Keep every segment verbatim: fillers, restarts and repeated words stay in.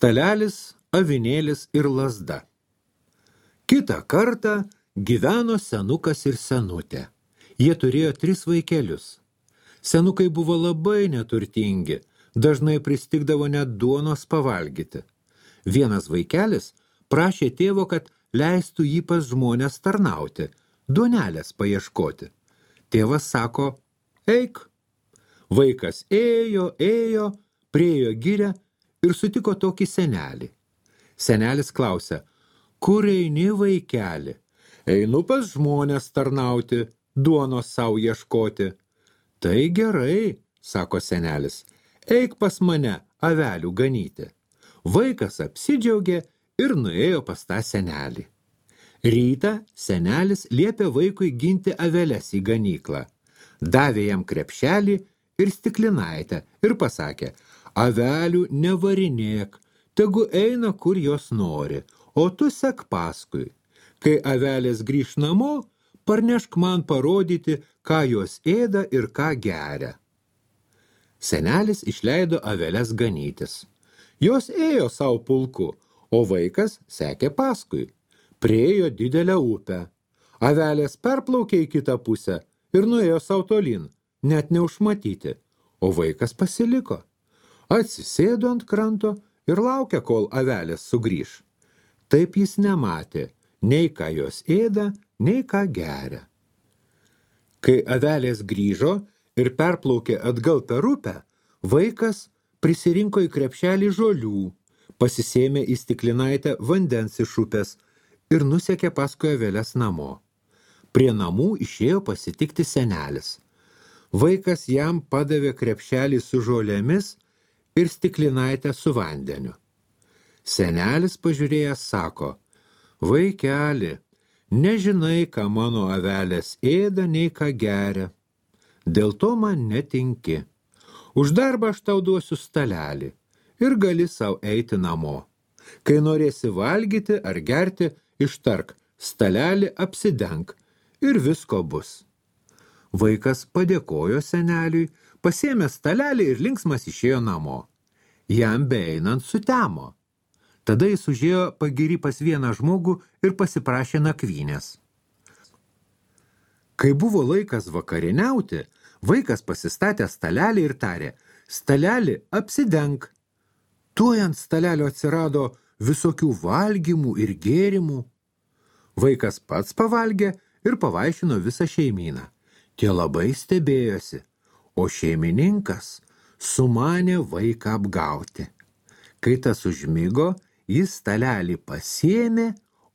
Stalelis, avinėlis ir lazda. Kitą kartą gyveno senukas ir senutė. Jie turėjo tris vaikelius. Senukai buvo labai neturtingi, dažnai pristigdavo net duonos pavalgyti. Vienas vaikelis prašė tėvo, kad leistų jį pas žmonės tarnauti, duonelės paieškoti. Tėvas sako, eik. Vaikas ėjo, ėjo, priėjo girią ir sutiko tokį senelį. Senelis klausia, kur eini, vaikeli? Einu pas žmonės tarnauti, duonos savo ieškoti. Tai gerai, sako senelis, eik pas mane avelių ganyti. Vaikas apsidžiaugė ir nuėjo pas tą senelį. Rytą senelis liepė vaikui ginti aveles į ganyklą. Davė jam krepšelį ir stiklinaitę ir pasakė, avelių nevarinėk, tegu eina kur jos nori, o tu sek paskui. Kai avelės grįš namo, parnešk man parodyti, ką jos ėda ir ką geria. Senelis išleido aveles ganytis. Jos ėjo savo pulku, o vaikas sekė paskui. Priėjo didelę upę. Avelės perplaukė į kitą pusę ir nuėjo savo tolyn, net neužmatyti, o vaikas pasiliko. Atsisėdo ant kranto ir laukė, kol avelės sugrįš. Taip jis nematė, nei ką jos ėda, nei ką geria. Kai avelės grįžo ir perplaukė atgal per upę, vaikas prisirinko į krepšelį žolių, pasisėmė į stiklinaitę vandens iš upės ir nusekė paskui aveles namo. Prie namų išėjo pasitikti senelis. Vaikas jam padavė krepšelį su žolėmis ir stiklinaitę su vandeniu. Senelis pažiūrėjęs sako, vaikeli, nežinai, ką mano avelės ėda, nei ką geria. Dėl to man netinki. Už darbą aš tau duosiu stalelį ir gali sau eiti namo. Kai norėsi valgyti ar gerti, ištark, stalelį apsidenk ir visko bus. Vaikas padėkojo seneliui, pasėmė stalelį ir linksmas išėjo namo. Jam beeinant sutemo. Tada jis užėjo pagiri pas vieną žmogų ir pasiprašė nakvynės. Kai buvo laikas vakarieniauti, vaikas pasistatė stalelį ir tarė, stalelį apsidenk. Tuoj ant stalelio atsirado visokių valgymų ir gėrimų. Vaikas pats pavalgė ir pavaišino visą šeimyną. Tie labai stebėjosi, o šeimininkas sumanė vaiką apgauti. Kai tas užmigo, jis stalelį pasiėmė,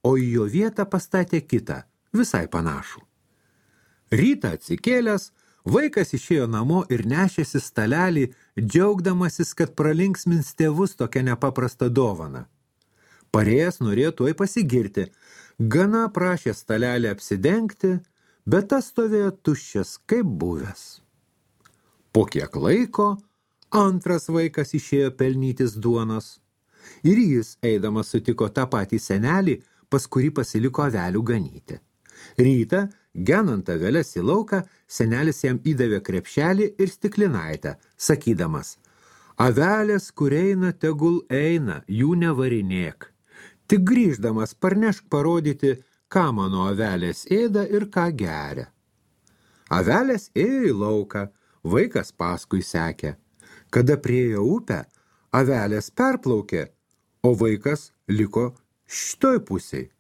o į jo vietą pastatė kitą, visai panašų. Rytą atsikėlęs, vaikas išėjo namo ir nešėsi stalelį, džiaugdamasis, kad pralinksmins tėvus tokią nepaprastą dovaną. Parėjęs norėjo tuoj pasigirti, gana prašė stalelį apsidengti, bet tas stovėjo tuščias kaip buvęs. Po kiek laiko antras vaikas išėjo pelnytis duonos. Ir jis, eidamas, sutiko tą patį senelį, pas kurį pasiliko avelių ganyti. Rytą, genant aveles į lauką, senelis jam įdavė krepšelį ir stiklinaitę, sakydamas, avelės, kur eina, tegul eina, jų nevarinėk. Tik grįždamas parnešk parodyti, ką mano avelės ėda ir ką geria. Avelės ėjo į lauką, vaikas paskui sekė. Kada priėjo upę, avelės perplaukė, o vaikas liko šitoj pusiai.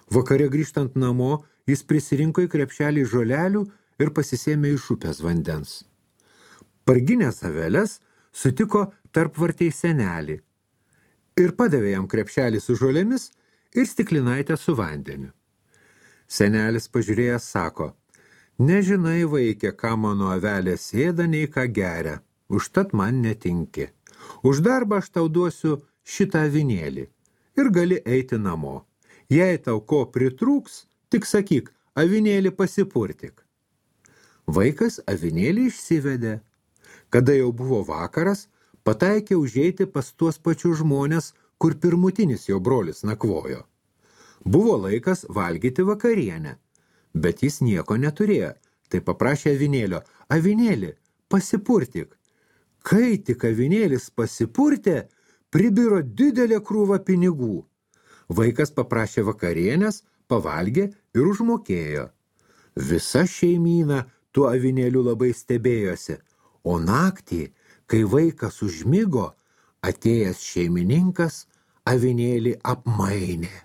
Vakare grįžtant namo, jis prisirinko į krepšelį žolelių ir pasisėmė iš upės vandens. Parginęs aveles sutiko tarpvartei senelį ir padavė jam krepšelį su žolėmis ir stiklinaitę su vandeniu. Senelis pažiūrėjęs sako, nežinai, vaikė, ką mano avelės ėda, nei ką geria, užtat man netinki. Už darbą aš tau duosiu šitą avinėlį ir gali eiti namo. Jei tau ko pritrūks, tik sakyk, avinėlį pasipurtik. Vaikas avinėlį išsivedė. Kada jau buvo vakaras, pataikė užeiti pas tuos pačius žmonės, kur pirmutinis jo brolis nakvojo. Buvo laikas valgyti vakarienę, bet jis nieko neturėjo, tai paprašė avinėlio, avinėlį, pasipurtik. Kai tik avinėlis pasipurtė, pribiro didelė krūva pinigų. Vaikas paprašė vakarienės, pavalgė ir užmokėjo. Visa šeimyna tuo avinėliu labai stebėjosi, o naktį, kai vaikas užmigo, atėjęs šeimininkas avinėlį apmainė.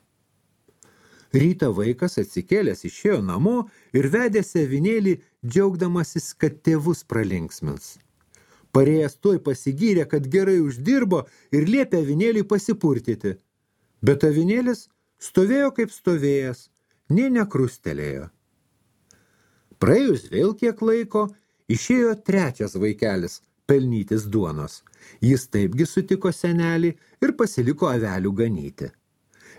Rytą vaikas atsikėlęs išėjo namo ir vedėsi avinėlį, džiaugdamasis, kad tėvus pralinksmins. Parėjęs tuoj pasigyrė, kad gerai uždirbo ir liepė avinėlį pasipurtyti. Bet avinėlis stovėjo kaip stovėjęs, nė nekrustelėjo. Praėjus vėl kiek laiko, išėjo trečias vaikelis pelnytis duonos. Jis taipgi sutiko senelį ir pasiliko avelių ganyti.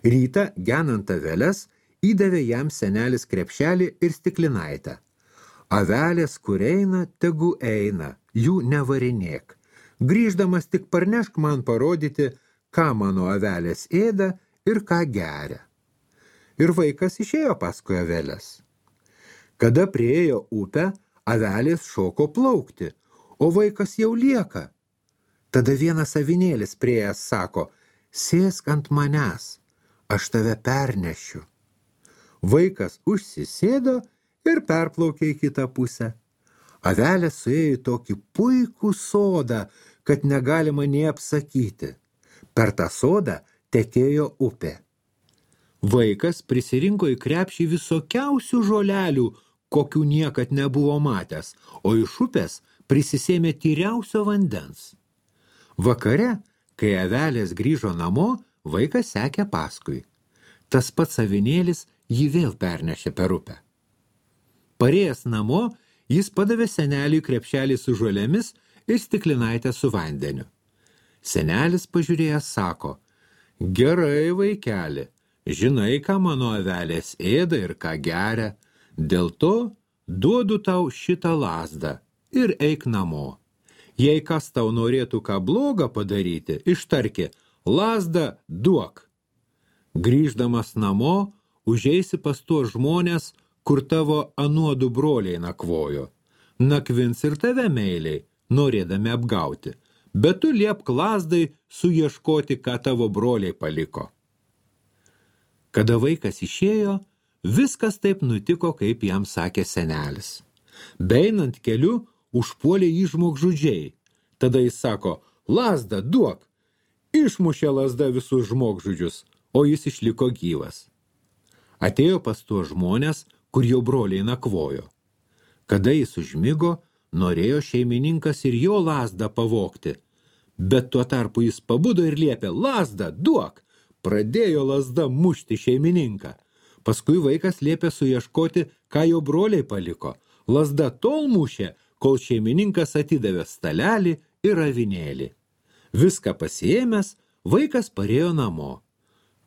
Rytą, genant aveles, įdavė jam senelis krepšelį ir stiklinaitę. Avelės, kur eina, tegu eina, jų nevarinėk. Grįždamas tik parnešk man parodyti, ką mano avelės ėda ir ką geria. Ir vaikas išėjo paskui aveles. Kada priėjo upę, avelės šoko plaukti, o vaikas jau lieka. Tada vienas avinėlis priėjęs sako, sėsk ant manęs, aš tave pernešiu. Vaikas užsisėdo ir perplaukė į kitą pusę. Avelė suėjo į tokį puikų sodą, kad negalima nė apsakyti. Per tą sodą tekėjo upė. Vaikas prisirinko į krepšį visokiausių žolelių, kokių niekad nebuvo matęs, o iš upės prisisėmė tyriausio vandens. Vakare, kai avelės grįžo namo, vaikas sekė paskui. Tas pats avinėlis jį vėl pernešė per upę. Parėjęs namo, jis padavė seneliui krepšelį su žolėmis ir stiklinaitę su vandeniu. Senelis pažiūrėjęs sako, gerai, vaikeli, žinai, ką mano avelės ėda ir ką geria, dėl to duodu tau šitą lazdą ir eik namo. Jei kas tau norėtų ką blogą padaryti, ištarki, lazdą duok. Grįždamas namo, užeisi pas tuos žmonės, kur tavo anuodų broliai nakvojo. Nakvins ir tave meiliai, norėdami apgauti, bet tu liepk lazdai suieškoti, ką tavo broliai paliko. Kada vaikas išėjo, viskas taip nutiko, kaip jam sakė senelis. Beeinant keliu, užpuolė jį žmogžudžiai. Tada jis sako, lazdą duok. Išmušė lazda visus žmogžudžius, o jis išliko gyvas. Atėjo pas tuos žmonės, kur jo broliai nakvojo. Kada jis užmigo, norėjo šeimininkas ir jo lazdą pavogti, bet tuo tarpu jis pabudo ir liepė, lazdą duok. Pradėjo lazda mušti šeimininką. Paskui vaikas liepė suieškoti, ką jo broliai paliko. Lazda tol mušė, kol šeimininkas atidavė stalelį ir avinėlį. Viską pasiėmęs, vaikas parėjo namo.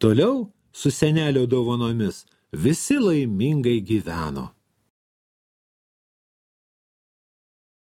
Toliau su senelio dovanomis visi laimingai gyveno.